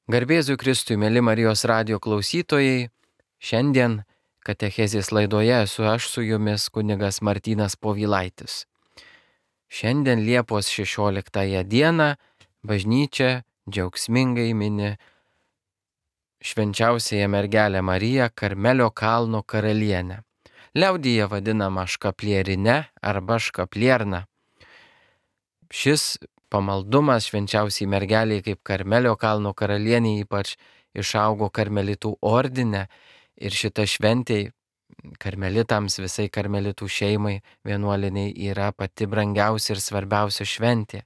Garbėzui Kristui, mėly Marijos radijo klausytojai, šiandien katechezės laidoje esu aš su jumis kunigas Martynas Povilaitis. Šiandien Liepos 16 dieną bažnyčia džiaugsmingai mini švenčiausiąją mergelę Mariją Karmelio kalno karalienę. Liaudyje vadinama škaplierine arba škaplierna. Šis pamaldumas švenčiausiai mergeliai kaip Karmelio kalno karalienė ypač išaugo karmelitų ordine ir šita šventė karmelitams, visai karmelitų šeimai vienuoliniai yra pati brangiausia ir svarbiausia šventė.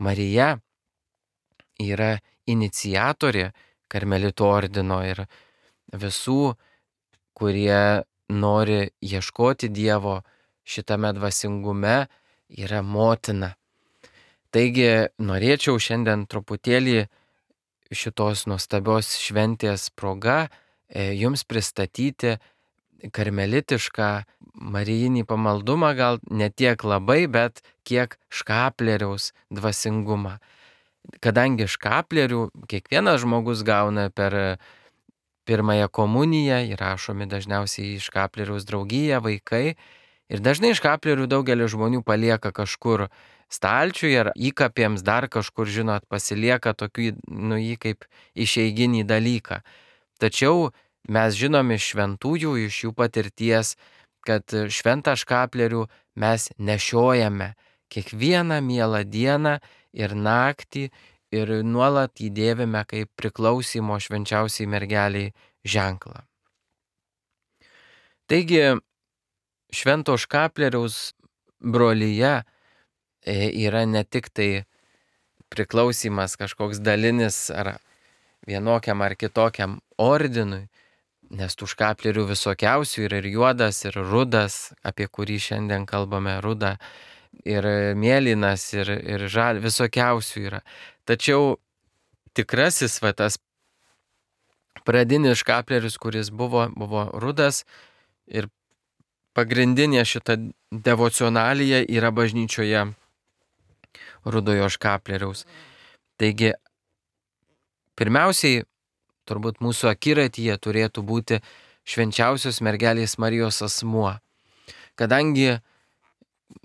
Marija yra iniciatorė karmelitų ordino ir visų, kurie nori ieškoti Dievo šitame dvasingume, yra motina. Taigi norėčiau šiandien truputėlį šitos nuostabios šventės proga jums pristatyti karmelitišką marijinį pamaldumą, gal ne tiek labai, bet kiek škapleriaus dvasingumą. Kadangi škaplerių kiekvienas žmogus gauna per pirmąją komuniją, įrašomi dažniausiai į škapleriaus draugiją vaikai, ir dažnai škaplerių daugelis žmonių palieka kažkur stalčiuje ar įkapėms dar kažkur, žinot, pasilieka tokį, jį kaip išeiginį dalyką. Tačiau mes žinome iš šventųjų, iš jų patirties, kad šventą škaplerių mes nešiojame kiekvieną mielą dieną ir naktį ir nuolat įdėvime kaip priklausimo švenčiausiai mergeliai ženklą. Taigi, švento škapleriaus brolyje yra ne tik tai priklausimas kažkoks dalinis ar vienokiam ar kitokiam ordinui, nes tų škaplerių visokiausių yra ir juodas, ir rudas, apie kurį šiandien kalbame, ruda, ir mėlynas, ir žal, visokiausių yra. Tačiau tikrasis tas pradinis škaplerius, kuris buvo rudas, ir pagrindinė šita devocionalija yra bažnyčioje rudojo škapleriaus. Taigi, pirmiausiai, turbūt mūsų akiratyje turėtų būti švenčiausios mergelės Marijos asmuo. Kadangi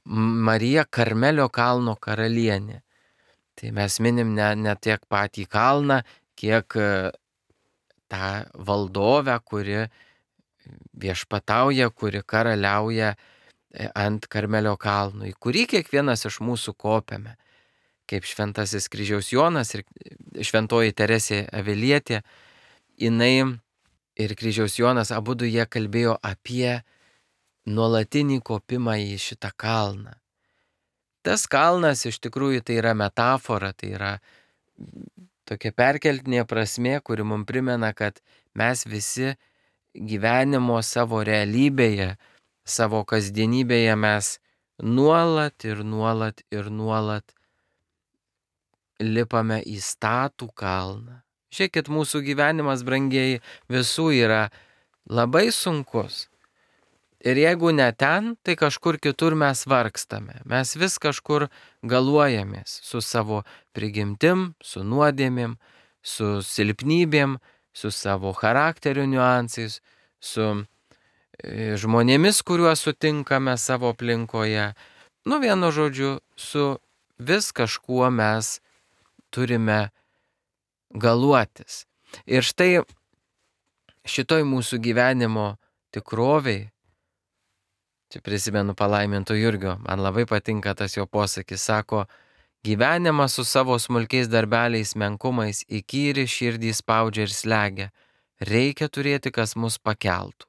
Marija Karmelio kalno karalienė, tai mes minim ne tiek patį kalną, kiek tą valdovę, kuri viešpatauja, kuri karaliauja ant Karmelio kalno, į kurį kiekvienas iš mūsų kopiame. Kaip šventasis kryžiaus Jonas ir šventoji Teresė Avilietė, jinai ir kryžiaus Jonas abudu jie kalbėjo apie nuolatinį kopimą į šitą kalną. Tas kalnas iš tikrųjų tai yra metafora, tai yra tokia perkeltinė prasmė, kuri mums primena, kad mes visi gyvenimo savo realybėje, savo kasdienybėje mes nuolat lipame į statų kalną. Žiūrėkit, mūsų gyvenimas, brangieji, visų yra labai sunkus. Ir jeigu ne ten, tai kažkur kitur mes vargstame. Mes vis kažkur galuojamės su savo prigimtim, su nuodėmėm, su silpnybėm, su savo charakterio niuansais, su žmonėmis, kuriuos sutinkame savo aplinkoje. Vienu žodžiu, su vis kažkuo mes turime galuotis. Ir štai šitoj mūsų gyvenimo tikroviai, čia prisimenu palaiminto Jurgio, man labai patinka tas jo posakis, sako, gyvenimas su savo smulkiais darbeliais, menkumais, įkyri širdį spaudžia ir slegia. Reikia turėti, kas mus pakeltų.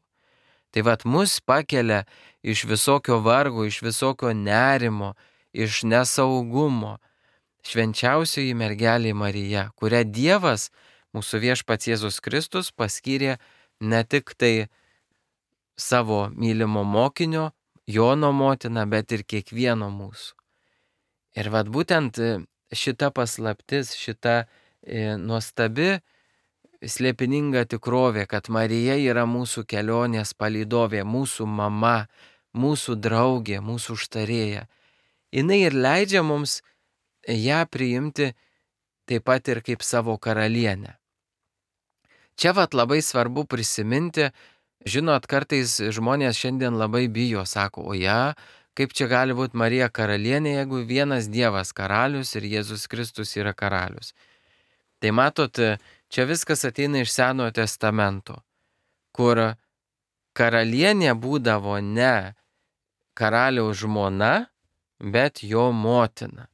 Tai mus pakelia iš visokio vargo, iš visokio nerimo, iš nesaugumo švenčiausioji mergelė Marija, kurią Dievas, mūsų viešpats Jėzus Kristus, paskyrė ne tik tai savo mylimo mokinio, Jono motina, bet ir kiekvieno mūsų. Ir būtent šita paslaptis, šita nuostabi, slėpininga tikrovė, kad Marija yra mūsų kelionės palydovė, mūsų mama, mūsų draugė, mūsų užtarėja. Jinai ir leidžia mums ją priimti taip pat ir kaip savo karalienę. Čia labai svarbu prisiminti, žinot, kartais žmonės šiandien labai bijo, sako, o ja, kaip čia gali būti Marija karalienė, jeigu vienas Dievas karalius ir Jėzus Kristus yra karalius. Tai matot, čia viskas ateina iš Senojo testamento, kur karalienė būdavo ne karaliaus žmona, bet jo motina.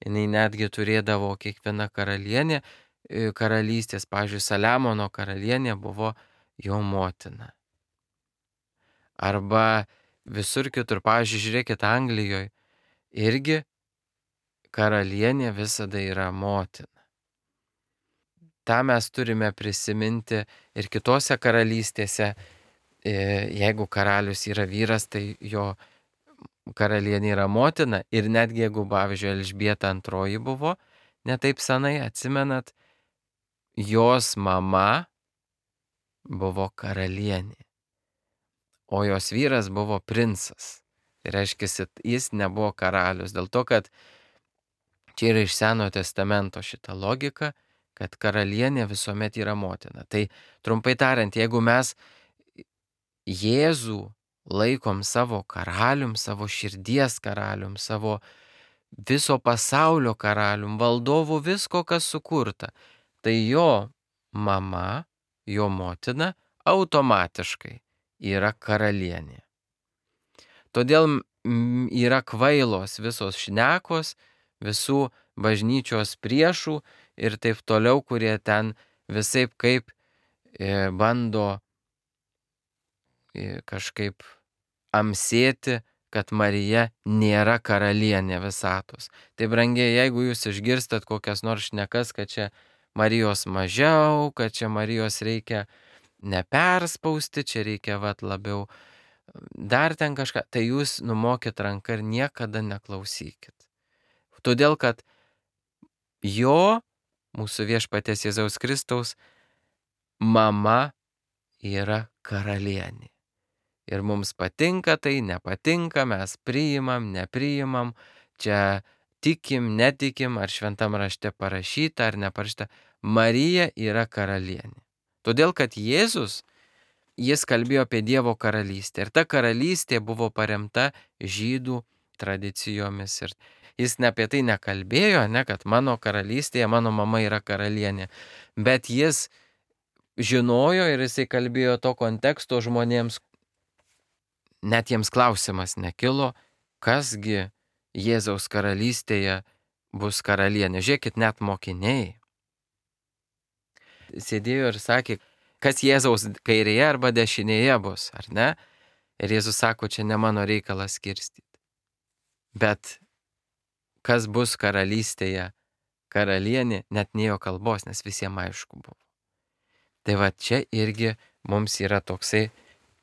Jis netgi turėdavo kiekviena karalienė, karalystės, pavyzdžiui, Saliamono karalienė buvo jo motina. Arba visur kitur, pavyzdžiui, žiūrėkit, Anglijoje irgi karalienė visada yra motina. Ta mes turime prisiminti ir kitose karalystėse. Jeigu karalius yra vyras, tai jo karalienė yra motina. Ir netgi jeigu, pavyzdžiui, Elžbieta II buvo, netaip senai, atsimenat, jos mama buvo karalienė, o jos vyras buvo princas. Tai reiškia, jis nebuvo karalius. Dėl to, kad čia yra iš Senojo testamento šita logika, kad karalienė visuomet yra motina. Tai trumpai tariant, jeigu mes Jėzų laikom savo karalium, savo širdies karalium, savo viso pasaulio karalium, valdovu visko, kas sukurta, tai jo mama, jo motina automatiškai yra karalienė. Todėl yra kvailos visos šnekos, visų bažnyčios priešų ir taip toliau, kurie ten visaip kaip bando kažkaip amsėti, kad Marija nėra karalienė visatos. Tai brangiai, jeigu jūs išgirstat kokias nors šnekas, kad čia Marijos mažiau, kad čia Marijos reikia neperspausti, čia reikia labiau dar ten kažką, tai jūs numokit ranką ir niekada neklausykit. Todėl, kad jo, mūsų viešpaties Jėzaus Kristaus, mama yra karalienė. Ir mums patinka tai, nepatinka, mes priimam, nepriimam, čia tikim, netikim, ar šventam rašte parašyta, ar neparašyta. Marija yra karalienė. Todėl, kad Jėzus, jis kalbėjo apie Dievo karalystę. Ir ta karalystė buvo paremta žydų tradicijomis. Ir jis ne apie tai nekalbėjo, ne, kad mano karalystėje mano mama yra karalienė. Bet jis žinojo ir jisai kalbėjo to konteksto žmonėms. Net jiems klausimas nekilo, kasgi Jėzaus karalystėje bus karalienė. Žiūrėkit, net mokiniai sėdėjo ir sakė, kas Jėzaus kairėje arba dešinėje bus, ar ne? Ir Jėzus sako, čia ne mano reikalas skirstyti. Bet kas bus karalystėje karalienė, net nėjo kalbos, nes visiems aišku buvo. Tai čia irgi mums yra toksai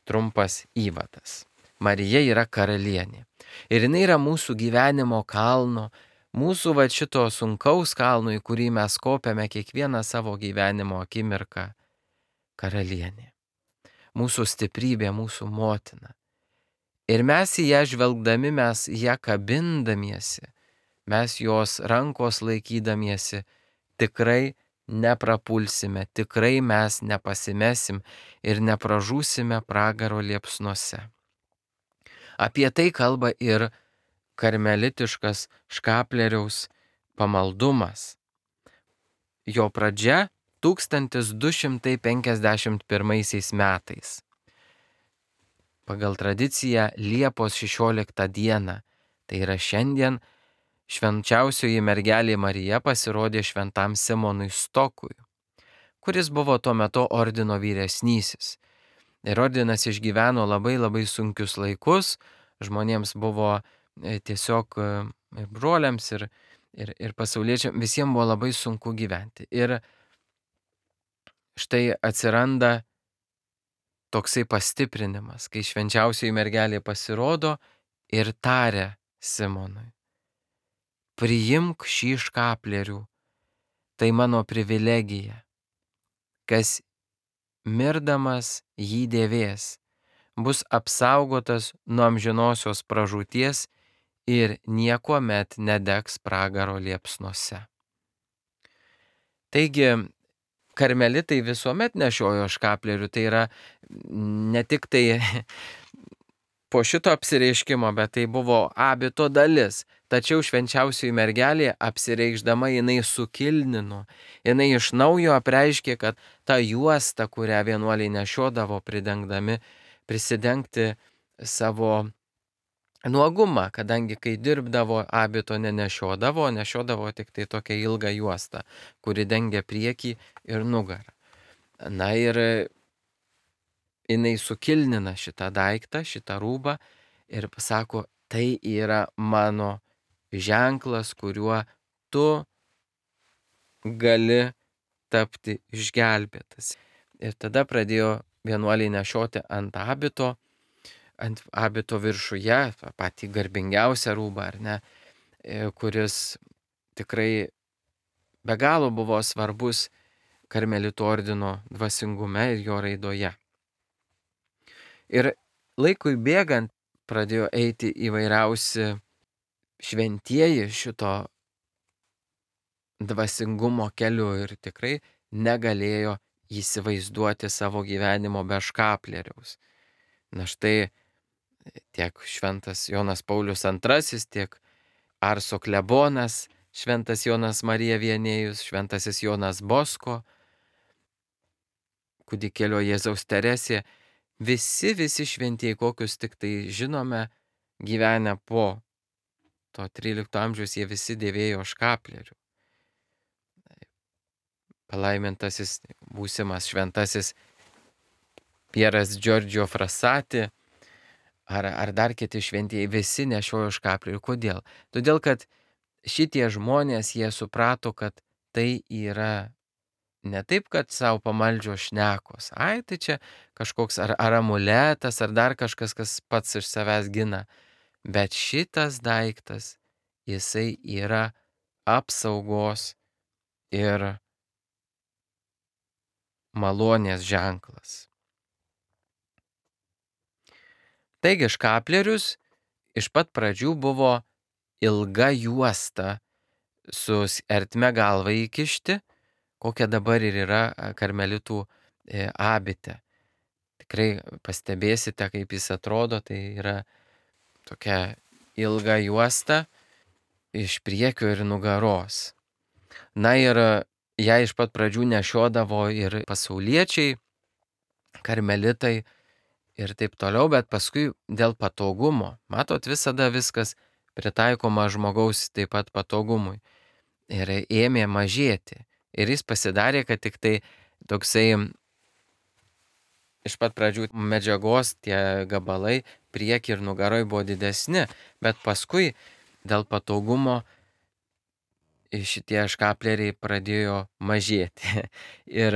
trumpas įvadas. Marija yra karalienė. Ir jinai yra mūsų gyvenimo kalno, mūsų šito sunkaus kalno, į kurį mes kopiame kiekvieną savo gyvenimo akimirką, karalienė. Mūsų stiprybė, mūsų motina. Ir mes į ją žvelgdami, mes ją kabindamiesi, mes jos rankos laikydamiesi, tikrai neprapulsime, tikrai mes nepasimesim ir nepražūsime pragaro liepsnuose. Apie tai kalba ir karmelitiškas Škapleriaus pamaldumas. Jo pradžia 1251 metais. Pagal tradiciją Liepos 16 dieną, tai yra šiandien, švenčiausioji mergelė Marija pasirodė šventam Simonui Stokui, kuris buvo tuo metu ordino vyresnysis. Ir ordinas išgyveno labai sunkius laikus, žmonėms buvo tiesiog broliams ir pasauliečiams, visiems buvo labai sunku gyventi. Ir štai atsiranda toksai pastiprinimas, kai švenčiausioji mergelė pasirodo ir taria Simonui: priimk šį škaplerių, tai mano privilegija, kas mirdamas jį dėvės, bus apsaugotas nuo amžinosios pražūties ir niekuomet nedegs pragaro liepsnuose. Taigi, karmelitai visuomet nešiojo škaplierių, tai yra ne tik tai po šito apsireiškimo, bet tai buvo abito dalis. Tačiau švenčiausioji mergelė apsireikšdama jinai sukilnino, jinai iš naujo apreiškė, kad ta juosta, kurią vienuoliai nešiodavo prisidengti savo nuogumą, kadangi kai dirbdavo abito nešiodavo tik tai tokią ilgą juostą, kuri dengia priekį ir nugarą. Na ir jinai sukilnina šitą daiktą, šitą rūbą ir pasako, tai yra mano ženklas, kuriuo tu gali tapti išgelbėtas. Ir tada pradėjo vienuoliai nešioti ant abito viršuje, patį garbingiausią rūbą, ar ne, kuris tikrai be galo buvo svarbus karmelitų ordino dvasingume ir jo raidoje. Ir laikui bėgant pradėjo eiti įvairiausi šventieji šito dvasingumo keliu ir tikrai negalėjo įsivaizduoti savo gyvenimo be škaplieriaus. Na štai tiek šventas Jonas Paulius II, tiek Arso klebonas, šventas Jonas Marija Vienėjus, šventasis Jonas Bosko, kūdikėlio Jėzaus Teresė, visi šventieji, kokius tik tai žinome, gyvenę po to 13 amžiaus, jie visi dėvėjo škaplierių. Palaimintasis būsimas šventasis Pieras Giorgio Frassati ar dar kiti šventieji visi nešiojo škaplierių. Kodėl? Todėl, kad šitie žmonės, jie suprato, kad tai yra ne taip, kad savo pamaldžio šnekos. Ai, tai čia kažkoks ar amuletas, ar dar kažkas, kas pats iš savęs gina. Bet šitas daiktas, jisai yra apsaugos ir malonės ženklas. Taigi škaplierius iš pat pradžių buvo ilga juosta su ertme galvą įkišti, kokia dabar ir yra karmelitų abite. Tikrai pastebėsite, kaip jis atrodo, tai yra tokia ilga juosta iš priekio ir nugaros. Na ir ją iš pat pradžių nešiodavo ir pasauliečiai, karmelitai ir taip toliau, bet paskui dėl patogumo, matot, visada viskas pritaikoma žmogaus taip pat patogumui. Ir ėmė mažėti. Ir jis pasidarė, kad tik tai toksai iš pat pradžių medžiagos tie gabalai priekį ir nugaroj buvo didesni, bet paskui dėl patogumo šitie škaplieriai pradėjo mažėti. Ir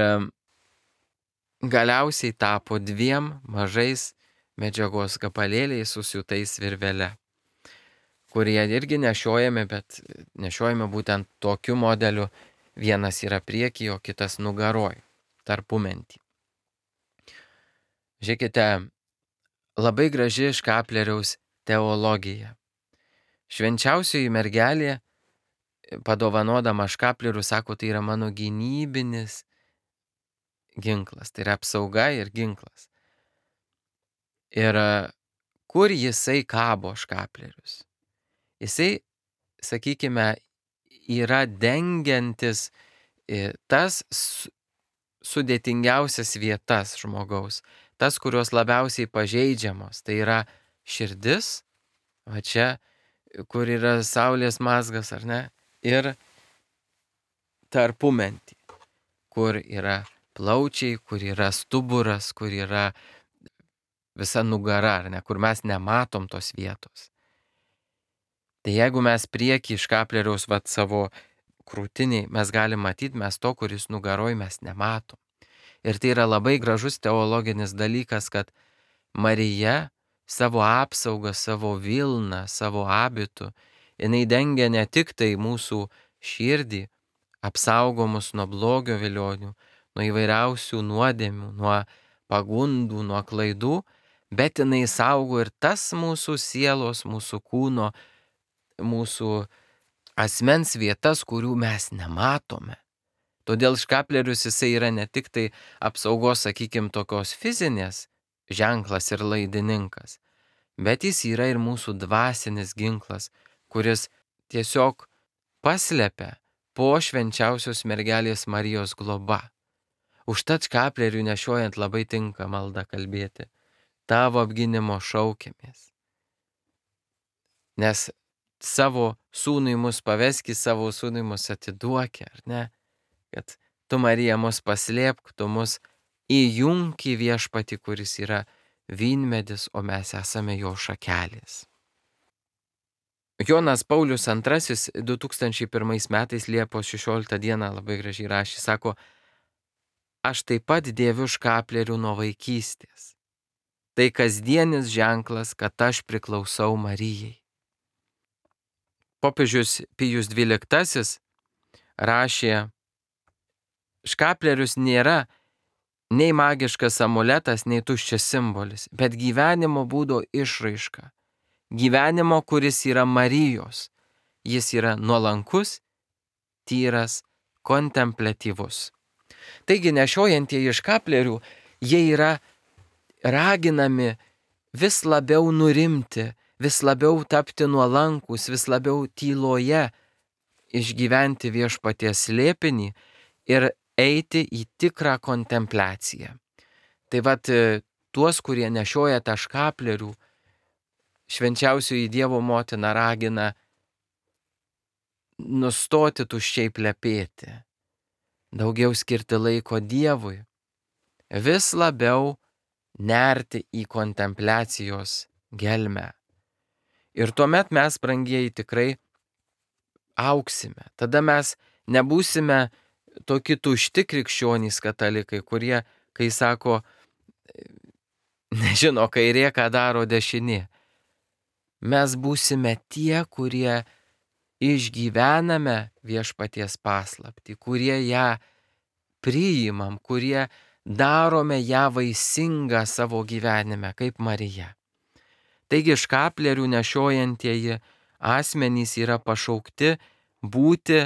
galiausiai tapo 2 mažais medžiagos gabalėliais susiūtais virvele, kurie irgi nešiojami, bet nešiojami būtent tokiu modeliu. Vienas yra prieky, o kitas nugaroj, tarpumentį. Žiūrėkite, labai graži škaplieriaus teologija. Švenčiausioji mergelė, padovanodama škaplierių, sako, tai yra mano gynybinis ginklas, tai yra apsauga ir ginklas. Ir kur jisai kabo škaplierius? Jisai, sakykime, yra dengiantis tas sudėtingiausias vietas žmogaus, tas, kurios labiausiai pažeidžiamos. Tai yra širdis, va čia, kur yra saulės mazgas, ar ne, ir tarpumentį, kur yra plaučiai, kur yra stuburas, kur yra visa nugara, ar ne, kur mes nematom tos vietos. Tai jeigu mes priekį škaplieriaus savo krūtiniai, mes galim matyti, mes to, kuris nugaroj, mes nematom. Ir tai yra labai gražus teologinis dalykas, kad Marija savo apsaugą, savo vilną, savo abitu, jinai dengia ne tik tai mūsų širdį, apsaugo mus nuo blogio vilionių, nuo įvairiausių nuodėmių, nuo pagundų, nuo klaidų, bet jinai saugo ir tas mūsų sielos, mūsų kūno, mūsų asmens vietas, kurių mes nematome. Todėl škaplerius jisai yra ne tik tai apsaugos, sakykime, tokios fizinės ženklas ir laidininkas, bet jis yra ir mūsų dvasinis ginklas, kuris tiesiog paslepia po švenčiausios mergelės Marijos globa. Užtat škaplerių nešiojant labai tinka malda kalbėti. Tavo apginimo šaukiamės. Nes savo sūnui mus paveski, savo sūnui mus atiduoki, ar ne? Kad tu, Marija, mus paslėpk, tu mus įjunk į viešpatį, kuris yra vynmedis, o mes esame jo šakelės. Jonas Paulius II 2001 metais Liepos 16 dieną labai gražiai rašė, sako, aš taip pat dėviu škaplerių nuo vaikystės. Tai kasdienis ženklas, kad aš priklausau Marijai. Popiežius Pijus XII rašė, škaplerius nėra nei magiškas amuletas, nei tuščias simbolis, bet gyvenimo būdo išraiška. Gyvenimo, kuris yra Marijos. Jis yra nuolankus, tyras, kontempliatyvus. Taigi nešiojantieji škaplerių, jie yra raginami vis labiau nurimti, vis labiau tapti nuolankus, vis labiau tyloje išgyventi viešpaties slėpinį ir eiti į tikrą kontempliaciją. Tai vat tuos, kurie nešioja tą škaplerių, švenčiausioji Dievo motina ragina nustoti tuščiai plepėti, daugiau skirti laiko Dievui, vis labiau nerti į kontempliacijos gelmę. Ir tuomet mes, brangieji, tikrai auksime. Tada mes nebūsime tokie tušti krikščionys katalikai, kurie, kai sako, nežino kairė, ką daro dešinė. Mes būsime tie, kurie išgyvename viešpaties paslaptį, kurie ją priimam, kurie darome ją vaisingą savo gyvenime, kaip Marija. Taigi škaplerių nešiojantieji asmenys yra pašaukti būti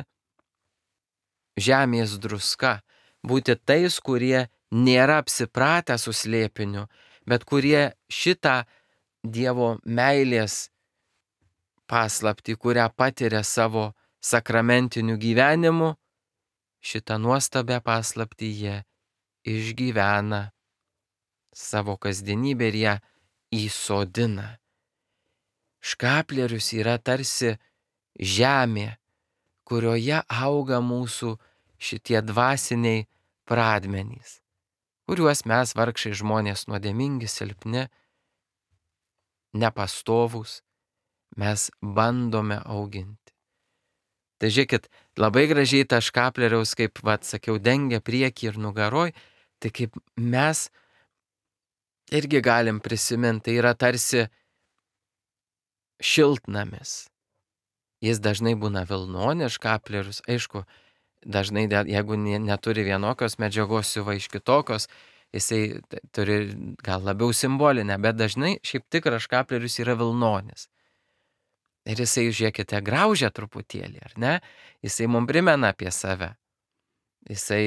žemės druska, būti tais, kurie nėra apsipratę su slėpiniu, bet kurie šitą Dievo meilės paslaptį, kurią patiria savo sakramentiniu gyvenimu, šitą nuostabę paslaptį jie išgyvena savo kasdienybę ir ją įsodina. Škaplerius yra tarsi žemė, kurioje auga mūsų šitie dvasiniai pradmenys, kuriuos mes vargšai žmonės nuodėmingi, silpni, nepastovūs, mes bandome auginti. Tai žiūrėkit, labai gražiai ta škapleriaus, kaip sakiau, dengia priekį ir nugaroj, tai kaip mes irgi galim prisiminti, tai yra tarsi šiltnamis. Jis dažnai būna vilnonės škaplerius, aišku, dažnai, jeigu neturi vienokios medžiagos, siuva iš kitokios, jisai turi gal labiau simbolinę, bet dažnai šiaip tikras škaplerius yra vilnonis. Ir jisai, žiūrėkite, graužia truputėlį, ar ne? Jisai mums primena apie save. Jisai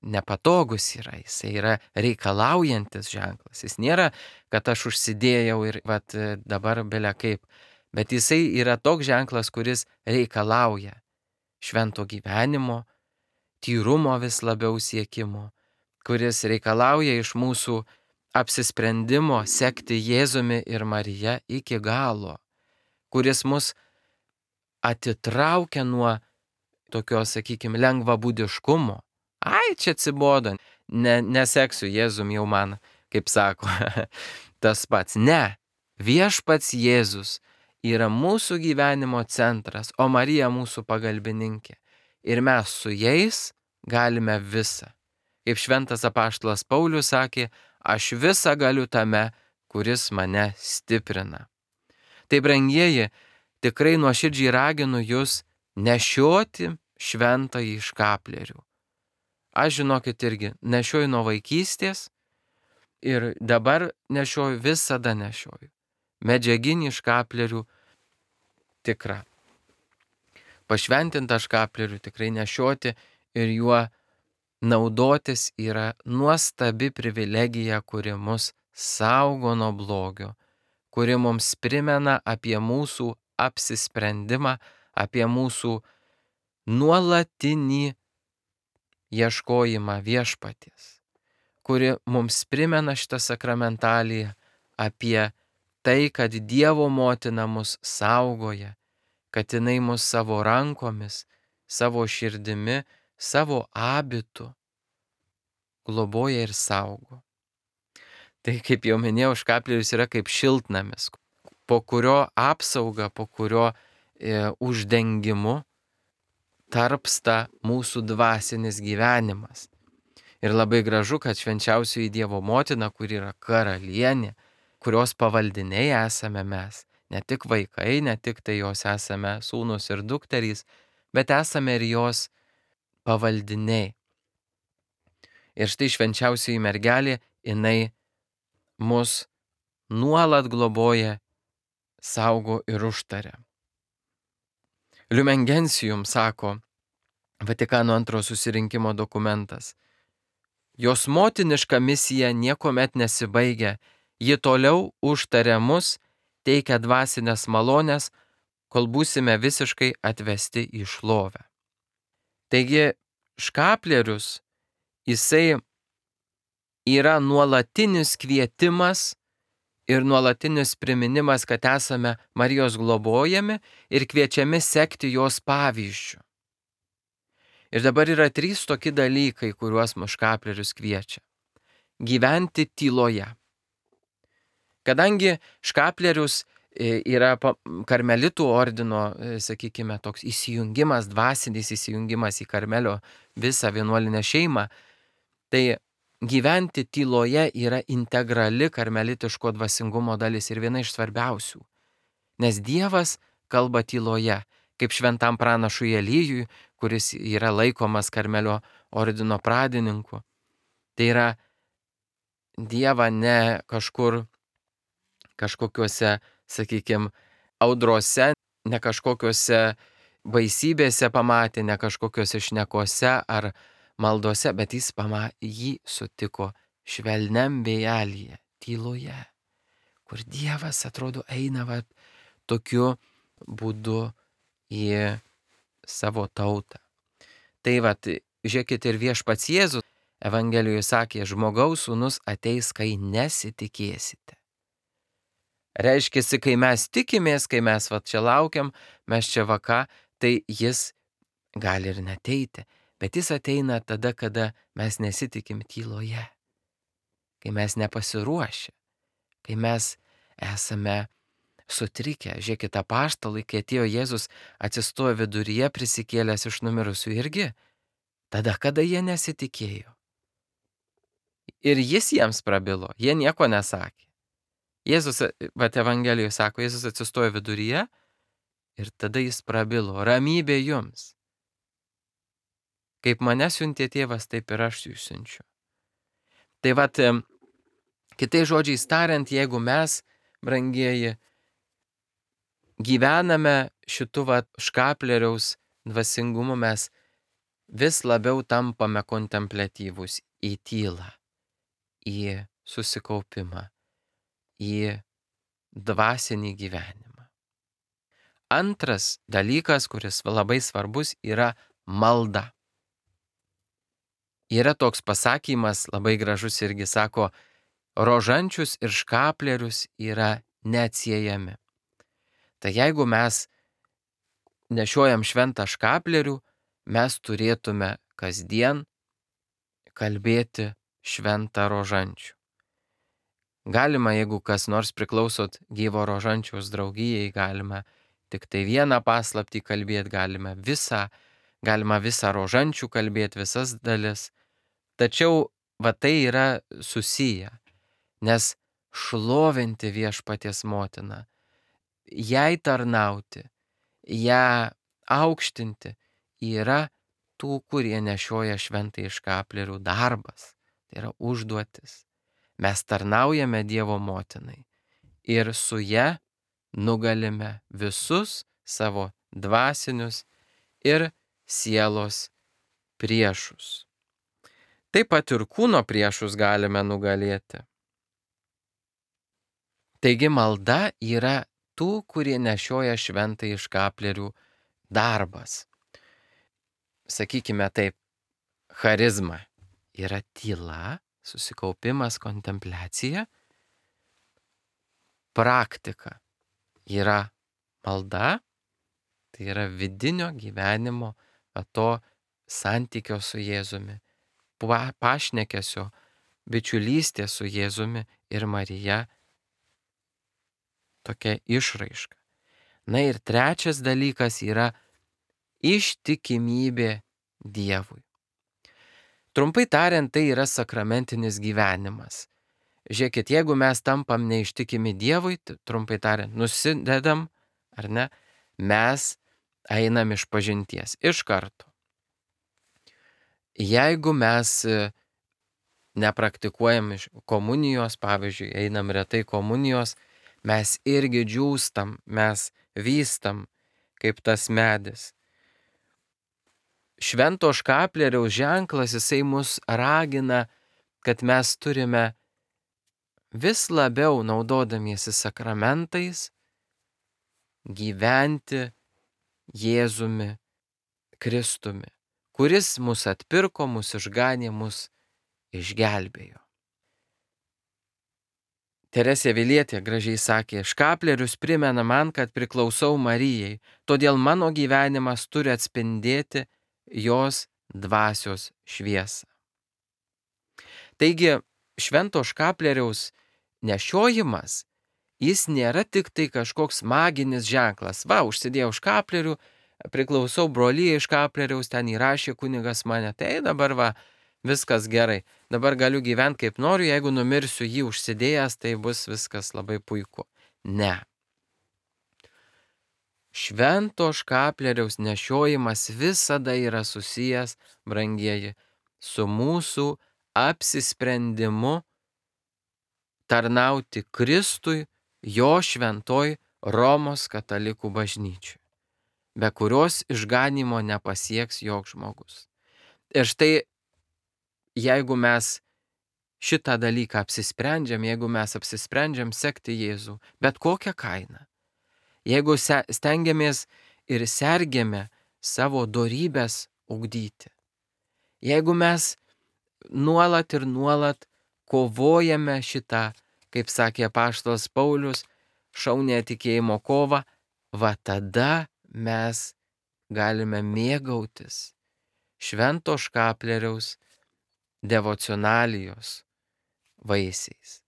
nepatogus yra, jisai yra reikalaujantis ženklas. Jis nėra, kad aš užsidėjau ir dabar belia kaip. Bet jisai yra toks ženklas, kuris reikalauja švento gyvenimo, tyrumo vis labiau siekimo, kuris reikalauja iš mūsų apsisprendimo sekti Jėzumi ir Marija iki galo, kuris mus atitraukia nuo tokio, sakykime, lengvabūdiškumo. Ai, čia atsibodo, neseksiu Jėzum jau man, kaip sako, tas pats. Ne, viešpats Jėzus yra mūsų gyvenimo centras, o Marija mūsų pagalbininkė. Ir mes su jais galime visą. Kaip šventas apaštalas Paulius sakė, aš visą galiu tame, kuris mane stiprina. Tai, brangieji, tikrai nuoširdžiai raginu jūs nešioti šventąjį škaplerių. Aš, žinokit, irgi nešioju nuo vaikystės ir dabar nešioju, visada nešioju. Medžiaginį škaplerių tikrą. Pašventintą škaplerių tikrai nešioti ir juo naudotis yra nuostabi privilegija, kuri mus saugo nuo blogio, kuri mums primena apie mūsų apsisprendimą, apie mūsų nuolatinį ieškojimą viešpaties, kuri mums primena šitą sakramentaliją apie tai, kad Dievo motina mus saugoja, kad jinai mus savo rankomis, savo širdimi, savo abitu globoja ir saugo. Tai, kaip jau minėjau, škaplierius yra kaip šiltnamis, po kurio apsauga, po kurio uždengimu tarpsta mūsų dvasinis gyvenimas. Ir labai gražu, kad švenčiausioji Dievo motina, kuri yra karalienė, kurios pavaldiniai esame mes, ne tik vaikai, ne tik tai jos esame sūnus ir dukterys, bet esame ir jos pavaldiniai. Ir štai švenčiausioji mergelė, jinai mus nuolat globoja, saugo ir užtaria. Lumen Gentium sako Vatikano antrojo susirinkimo dokumentas. Jos motiniška misija niekuomet nesibaigia, ji toliau užtaria mus, teikia dvasinės malonės, kol būsime visiškai atvesti į šlovę. Taigi škaplierius, jisai yra nuolatinis kvietimas ir nuolatinis priminimas, kad esame Marijos globojami ir kviečiami sekti jos pavyzdžiu. Ir dabar yra 3 tokie dalykai, kuriuos mus škaplierius kviečia. Gyventi tyloje. Kadangi škaplierius yra karmelitų ordino, sakykime, toks įsijungimas, dvasinis įsijungimas į Karmelio visą vienuolinę šeimą, tai gyventi tyloje yra integrali karmelitiško dvasingumo dalis ir viena iš svarbiausių. Nes Dievas kalba tyloje, kaip šventam pranašui Elijui, kuris yra laikomas Karmelio ordino pradininku. Tai yra Dievą ne kažkokiuose, sakykime, audrose, ne kažkokiuose baisybėse pamatė, ne kažkokiuose šnekose ar maldose, bet jį sutiko švelniam vėjelyje, tyloje, kur Dievas, atrodo, eina tokiu būdu į savo tautą. Tai žiūrėkit, ir viešpats Jėzus Evangelijoje sakė, žmogaus sūnus ateis, kai nesitikėsite. Reiškia, kai mes tikimės, kai mes čia laukiam, mes čia tai jis gali ir neteiti. Bet jis ateina tada, kada mes nesitikim tyloje, kai mes nepasiruošę, kai mes esame sutrikę. Žiūrėkit, apaštalai, kai atėjo Jėzus, atsistojo viduryje prisikėlęs iš numirusių irgi, tada, kada jie nesitikėjo. Ir jis jiems prabilo, jie nieko nesakė. Jėzus, Evangelijoje sako, Jėzus atsistojo viduryje ir tada jis prabilo, ramybė jums. Kaip mane siuntė tėvas, taip ir aš jūs siunčiu. Tai kitais žodžiais tariant, jeigu mes, brangieji, gyvename šitų škaplieriaus dvasingumu, mes vis labiau tampame kontempliatyvūs į tylą, į susikaupimą, į dvasinį gyvenimą. Antras dalykas, kuris labai svarbus, yra malda. Yra toks pasakymas, labai gražus irgi sako, rožančius ir škaplierius yra neatsiejami. Tai jeigu mes nešiojam šventą škaplierių, mes turėtume kasdien kalbėti šventą rožančių. Galima, jeigu kas nors priklausot gyvo rožančiaus draugijai, galima tik tai vieną paslaptį kalbėti, galima visą rožančių kalbėti, visas dalis. Tačiau tai yra susiję, nes šlovinti viešpaties motiną, jai tarnauti, ją aukštinti yra tų, kurie nešioja šventąjį škaplierių darbas. Tai yra užduotis. Mes tarnaujame Dievo motinai ir su ja nugalime visus savo dvasinius ir sielos priešus. Taip pat ir kūno priešus galime nugalėti. Taigi malda yra tų, kurie nešioja šventąjį škaplierių darbas. Sakykime taip, charizma yra tyla, susikaupimas, kontempliacija. Praktika yra malda, tai yra vidinio gyvenimo, to santykio su Jėzumi, pašnekesio, bičiulystė su Jėzumi ir Marija tokia išraiška. Na ir trečias dalykas yra ištikimybė Dievui. Trumpai tariant, tai yra sakramentinis gyvenimas. Žiūrėkit, jeigu mes tampam neištikimi Dievui, trumpai tariant, nusidedam, ar ne, mes einam iš pažinties iš karto. Jeigu mes nepraktikuojam komunijos, pavyzdžiui, einam retai komunijos, mes irgi džiūstam, mes vystam kaip tas medis. Švento škaplieriaus ženklas, jisai mus ragina, kad mes turime vis labiau naudodamiesi sakramentais gyventi Jėzumi Kristumi, kuris mus atpirko, mus išganė, mus išgelbėjo. Teresė Avilietė gražiai sakė, škaplierius primena man, kad priklausau Marijai, todėl mano gyvenimas turi atspindėti jos dvasios šviesą. Taigi, švento škaplieriaus nešiojimas, jis nėra tik tai kažkoks maginis ženklas. Va, užsidėjau škaplierių, priklausau brolyjai škaplieriaus, ten įrašė kunigas mane, tai dabar va, viskas gerai. Dabar galiu gyventi kaip noriu, jeigu numirsiu jį užsidėjęs, tai bus viskas labai puiku. Ne. Švento škaplieriaus nešiojimas visada yra susijęs, brangieji, su mūsų apsisprendimu tarnauti Kristui, jo šventoj Romos katalikų bažnyčiai, be kurios išganimo nepasieks joks žmogus. Ir štai, jeigu mes šitą dalyką apsisprendžiam, jeigu mes apsisprendžiam sekti Jėzų, bet kokią kainą, jeigu stengiamės ir sergiame savo dorybės ugdyti, jeigu mes nuolat ir nuolat kovojame šitą, kaip sakė apaštalas Paulius, šaunią tikėjimo kovą, va tada mes galime mėgautis švento škaplieriaus devocionalijos vaisiais.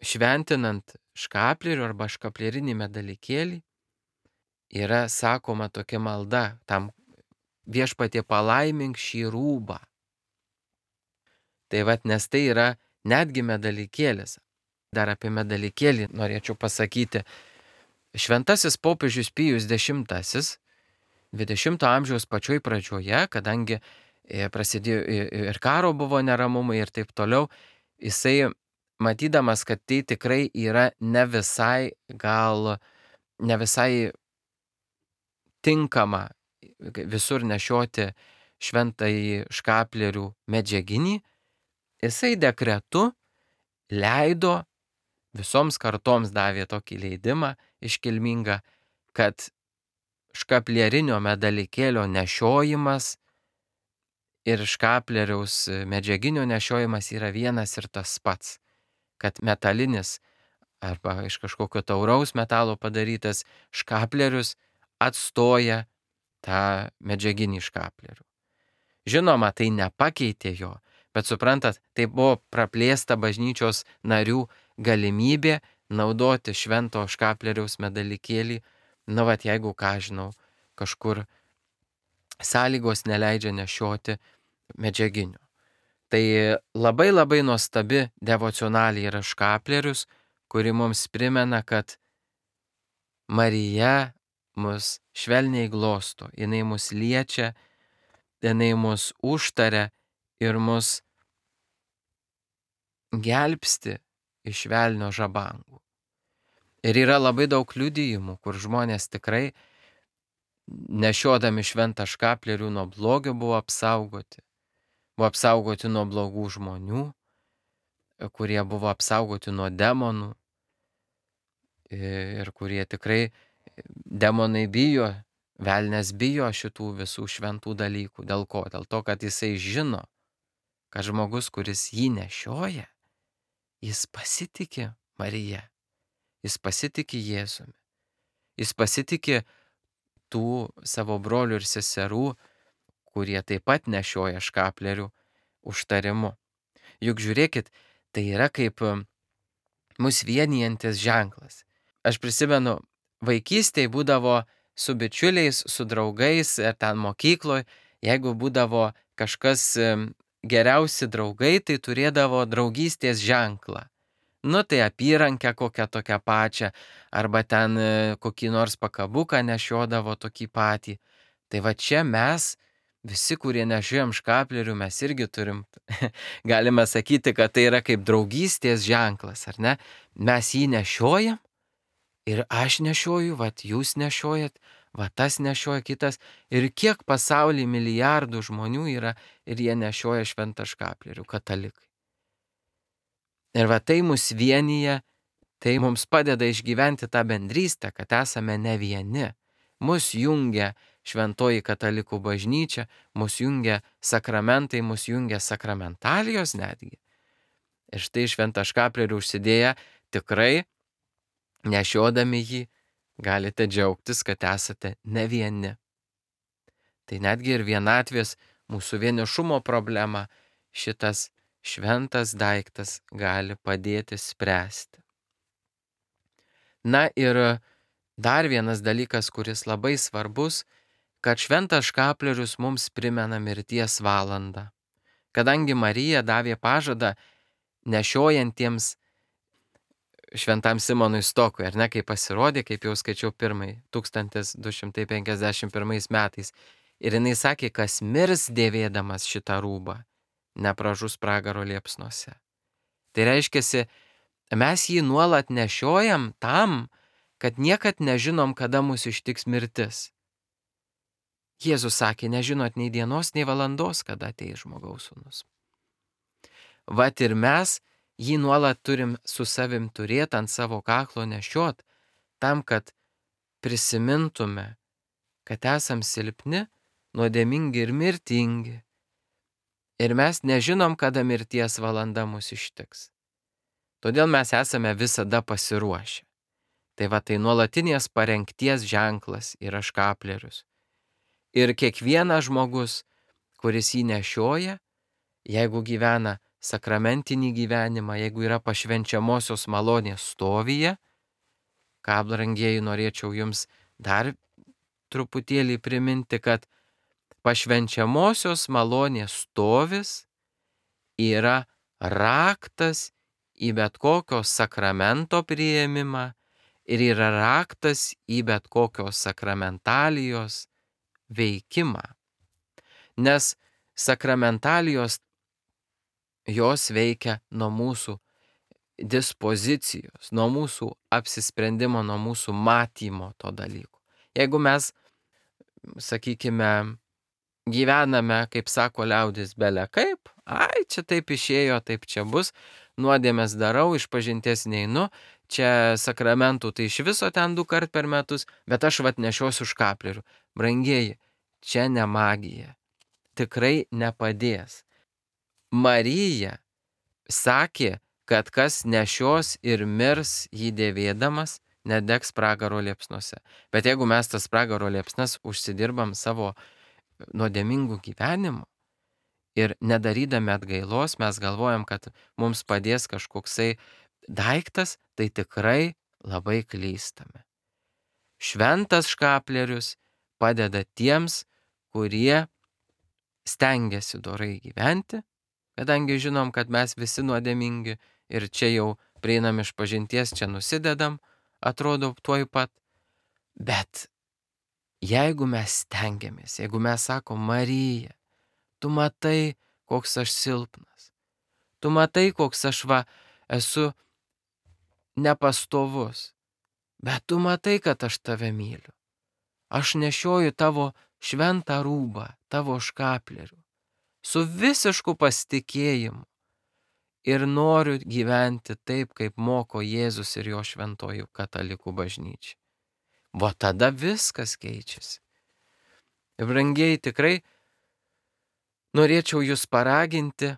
Šventinant škaplierių arba škaplierinį medalikėlį yra sakoma tokia malda, tam Viešpatie palaimink šį rūbą. Tai vat, nes tai yra netgi medalikėlis. Dar apie medalikėlį norėčiau pasakyti. Šventasis popiežius Pijus X 20 amžiaus pačioj pradžioje, kadangi prasidėjo ir karo buvo neramumai ir taip toliau, jisai matydamas, kad tai tikrai yra ne visai tinkama visur nešioti šventąjį škaplierių medžiaginį, jisai dekretu leido, visoms kartoms davė tokį leidimą iškilmingą, kad škaplierinio medalikėlio nešiojimas ir škaplieriaus medžiaginio nešiojimas yra vienas ir tas pats, kad metalinis arba iš kažkokio tauraus metalo padarytas škaplierius atstoja tą medžiaginį škaplierių. Žinoma, tai nepakeitė jo, bet suprantat, tai buvo praplėsta bažnyčios narių galimybė naudoti švento škaplieriaus medalikėlį, nu vat jeigu ką žinau, kažkur sąlygos neleidžia nešioti medžiaginių. Tai labai labai nuostabi devocionalė yra škaplierius, kuri mums primena, kad Marija mus švelniai glosto, jinai mus liečia, jinai mus užtaria ir mus gelbsti iš velnio žabangų. Ir yra labai daug liudijimų, kur žmonės tikrai nešiodami šventą škaplierių nuo blogio buvo apsaugoti nuo blogų žmonių, kurie buvo apsaugoti nuo demonų ir kurie tikrai demonai bijo, velnias bijo šitų visų šventų dalykų. Dėl ko? Dėl to, kad jisai žino, kad žmogus, kuris jį nešioja, jis pasitikė Marija, jis pasitikė Jėzumi, jis pasitikė tų savo brolių ir seserų, kurie taip pat nešioja škaplierių, užtarimu. Juk žiūrėkit, tai yra kaip mus vienijantis ženklas. Aš prisimenu, vaikystėje būdavo su bičiuliais, su draugais, ten mokykloje, jeigu būdavo kažkas geriausi draugai, tai turėdavo draugystės ženklą. Nu tai apyrankę kokią tokią pačią, arba ten kokį nors pakabuką nešiodavo tokį patį. Tai va čia mes, visi, kurie nešiojam škaplierių, mes irgi turim, galime sakyti, kad tai yra kaip draugystės ženklas, ar ne? Mes jį nešiojam ir aš nešioju, vat jūs nešiojat, va tas nešioja kitas. Ir kiek pasaulyje milijardų žmonių yra ir jie nešioja šventą škaplierių, katalikai. Ir va tai mus vienyje, tai mums padeda išgyventi tą bendrystę, kad esame ne vieni. Mus jungia šventoji katalikų bažnyčia, mus jungia sakramentai, mus jungia sakramentalijos netgi. Ir štai šventą škaplierių užsidėję tikrai nešiodami jį galite džiaugtis, kad esate ne vieni. Tai netgi ir vienatvės, mūsų vienišumo problema šitas šventas daiktas gali padėti spręsti. Na ir dar vienas dalykas, kuris labai svarbus, kad šventas škaplierius mums primena mirties valandą. Kadangi Marija davė pažadą nešiojantiems šventam Simonui Stokui, ar ne, kai pasirodė, kaip jau skaičiau 1251 metais. Ir jinai sakė, kas mirs dėvėdamas šitą rūbą, nepražus pragaro liepsnose. Tai reiškia, mes jį nuolat nešiojam tam, kad niekad nežinom, kada mus ištiks mirtis. Jėzus sakė, nežinot nei dienos, nei valandos, kada ateis žmogaus sūnus. Vat ir mes jį nuolat turim su savim turėti, ant savo kaklo nešiot, tam, kad prisimintume, kad esam silpni, nuodėmingi ir mirtingi. Ir mes nežinom, kada mirties valanda mus ištiks. Todėl mes esame visada pasiruošę. Tai va tai nuolatinės parengties ženklas yra škaplierius. Ir kiekvienas žmogus, kuris jį nešioja, jeigu gyvena sakramentinį gyvenimą, jeigu yra pašvenčiamosios malonės stovyje, ką, brangieji, norėčiau jums dar truputėlį priminti, kad pašvenčiamosios malonės stovis yra raktas į bet kokio sakramento priėmimą ir yra raktas į bet kokios sakramentalijos veikimą. Nes sakramentalijos jos veikia nuo mūsų dispozicijos, nuo mūsų apsisprendimo, nuo mūsų matymo to dalyko. Jeigu mes, sakykime, gyvename, kaip sako liaudis, bele kaip, čia taip išėjo, taip čia bus, nuodėmės darau, išpažinties neinu, čia sakramentų tai iš viso ten 2 kart per metus, bet aš vat nešiosiu škaplierių. Brangieji, čia ne magija, tikrai nepadės. Marija sakė, kad kas nešios ir mirs jį dėvėdamas, nedegs pragaro liepsnuose. Bet jeigu mes tas pragaro liepsnas užsidirbam savo nuodėmingų gyvenimų ir nedarydami atgailos, mes galvojam, kad mums padės kažkoksai daiktas, tai tikrai labai klystame. Šventas škaplierius padeda tiems, kurie stengiasi dorai gyventi, kadangi žinom, kad mes visi nuodėmingi ir čia jau prieinam išpažinties, čia nusidedam, atrodo tuoj pat. Bet jeigu mes stengiamės, jeigu mes sakom, Marija, tu matai, koks aš silpnas, tu matai, koks aš esu nepastovus, bet tu matai, kad aš tave myliu. aš nešioju tavo šventą rūbą, tavo škaplerių, su visišku pasitikėjimu ir noriu gyventi taip, kaip moko Jėzus ir jo šventoji katalikų bažnyčia. Va tada viskas keičiasi. Ir brangieji, tikrai norėčiau jūs paraginti,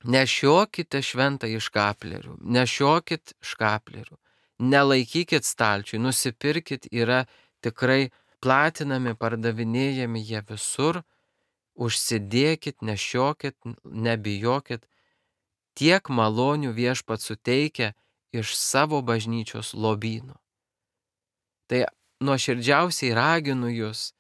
nešiokite šventąjį škaplerių, nešiokit škaplerių, nelaikykit stalčiui, nusipirkit, yra tikrai platinami, pardavinėjami jie visur, užsidėkit, nešiokit, nebijokit, tiek malonių viešpats suteikia iš savo bažnyčios lobyno. Tai nuoširdžiausiai raginu jūs,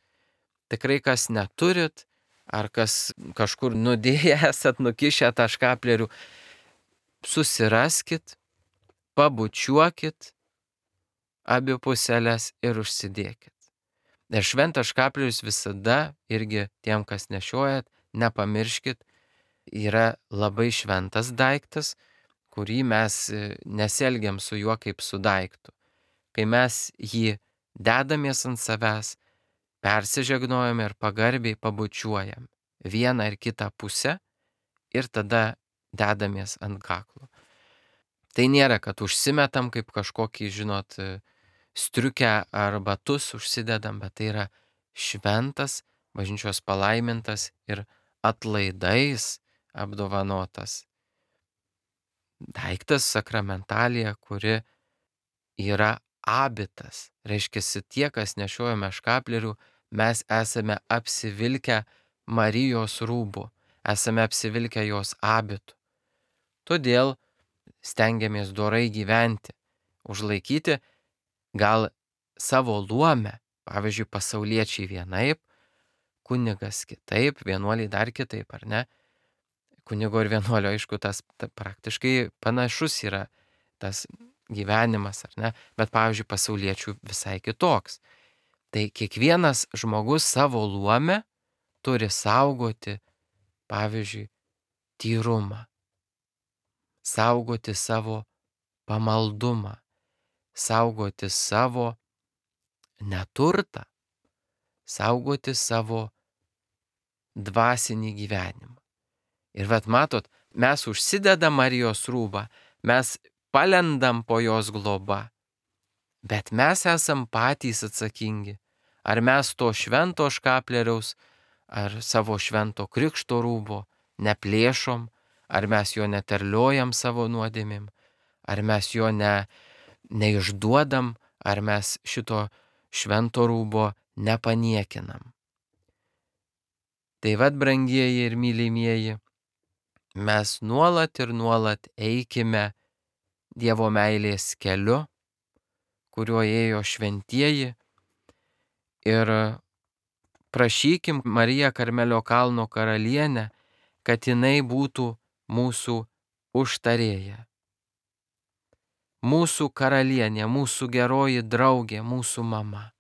tikrai kas neturit, ar kas kažkur nudėję esat, nukišę tą škaplerių, susiraskit, pabučiuokit abi puselės ir užsidėkit. Ir šventas škaplerius visada irgi tiem, kas nešiojat, nepamirškit, yra labai šventas daiktas, kurį mes nesielgiam su juo kaip su daiktu. Kai mes jį dedamės ant savęs, persižegnojam ir pagarbiai pabučiuojam vieną ir kitą pusę ir tada dedamės ant kaklo. Tai nėra, kad užsimetam kaip kažkokį, žinot, striukę ar batus užsidedam, bet tai yra šventas, bažnyčios palaimintas ir atlaidais apdovanotas daiktas, sakramentalija, kuri yra abitas. Reiškia, tie, kas nešiojame škaplerių, mes esame apsivilkę Marijos rūbų, esame apsivilkę jos abitų. Todėl stengiamės dorai gyventi, užlaikyti gal savo luomę, pavyzdžiui, pasauliečiai vienaip, kunigas kitaip, vienuoliai dar kitaip, ar ne? Kunigo ir vienuolio, aišku, tas praktiškai panašus yra tas gyvenimas, ar ne? Bet, pavyzdžiui, pasauliečių visai kitoks. Tai kiekvienas žmogus savo luomę turi saugoti, pavyzdžiui, tyrumą, saugoti savo pamaldumą, saugoti savo neturtą, saugoti savo dvasinį gyvenimą. Ir vat matot, mes užsidedam Marijos rūbą, mes palendam po jos globą, bet mes esam patys atsakingi. Ar mes to švento škapleriaus, ar savo švento krikšto rūbo neplėšom, ar mes jo neterliojam savo nuodėmėm, ar mes jo neišduodam, ar mes šito švento rūbo nepaniekinam. Tai vat, brangieji ir mylimieji, mes nuolat ir nuolat eikime Dievo meilės keliu, kuriuo ėjo šventieji, ir prašykim Mariją Karmelio kalno karalienę, kad jinai būtų mūsų užtarėja. Mūsų karalienė, mūsų geroji draugė, mūsų mama.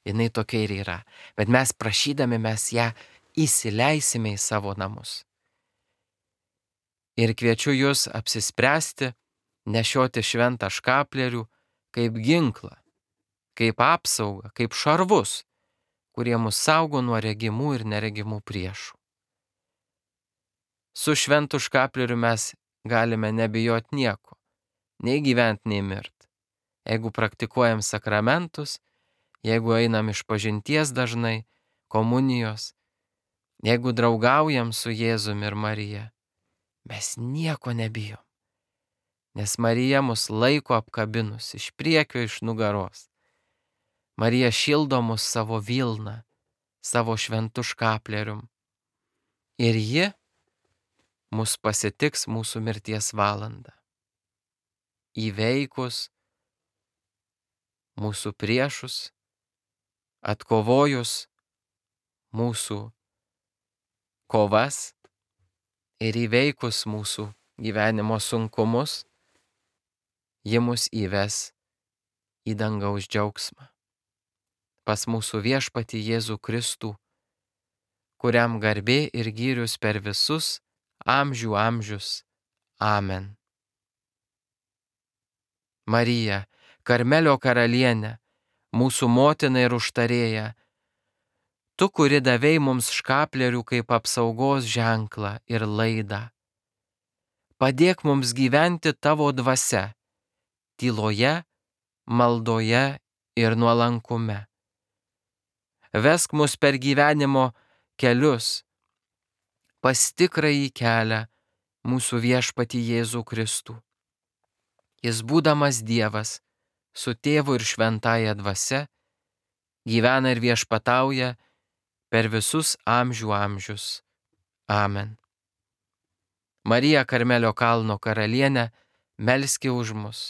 Jinai tokia ir yra. Bet mes prašydami, mes ją įsileisime į savo namus. Ir kviečiu jūs apsispręsti, nešioti šventą škaplerių kaip ginklą, kaip apsaugą, kaip šarvus, kurie mus saugo nuo regimų ir neregimų priešų. Su šventu škapleriu mes galime nebijoti nieko, nei gyventi, nei mirti. Jeigu praktikuojam sakramentus, jeigu einam iš pažinties dažnai, komunijos, jeigu draugaujam su Jėzumi ir Marija, mes nieko nebijom. Nes Marija mus laiko apkabinus iš priekio, iš nugaros. Marija šildo mus savo vilną, savo šventu škaplerium. Ir ji mus pasitiks mūsų mirties valandą. Įveikus mūsų priešus, atkovojus mūsų kovas ir įveikus mūsų gyvenimo sunkumus, ji mus įves į dangaus džiaugsmą. Pas mūsų viešpatį Jėzų Kristų, kuriam garbė ir gyrius per visus amžių amžius. Amen. Marija, Karmelio karalienė, mūsų motina ir užtarėja, tu, kuri davei mums škaplierių kaip apsaugos ženklą ir laidą. Padėk mums gyventi tavo dvasia, tyloje, maldoje ir nuolankume. Vesk mus per gyvenimo kelius, pas tikrąjį kelią, mūsų viešpatį Jėzų Kristų. Jis būdamas Dievas, su Tėvu ir Šventąja Dvasia, gyvena ir viešpatauja per visus amžių amžius. Amen. Marija Karmelio kalno karalienė, melski už mus.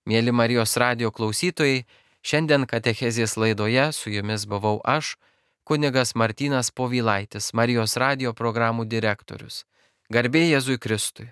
Mėly Marijos radijo klausytojai, šiandien katechezės laidoje su jumis buvau aš, kunigas Martynas Povilaitis, Marijos radijo programų direktorius. Garbė Jėzui Kristui.